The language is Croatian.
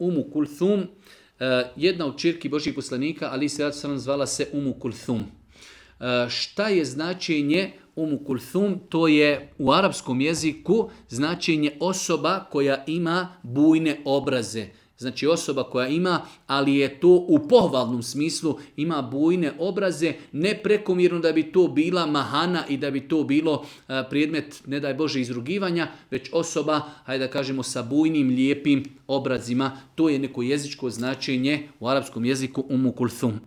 Umu Kulthum, jedna od ćerki Božjih poslanika, ali se zvala se Umu Kulthum. Šta je značenje Umu Kulthum? To je u arapskom jeziku značenje osoba koja ima bujne obraze. Znači osoba koja ima, ali je to u pohvalnom smislu, ima bujne obraze, ne prekomjerno da bi to bila mahana i da bi to bilo predmet, ne daj Bože, izrugivanja, već osoba, hajde da kažemo, sa bujnim, lijepim obrazima. To je neko jezičko značenje u arapskom jeziku Umu Kulthum.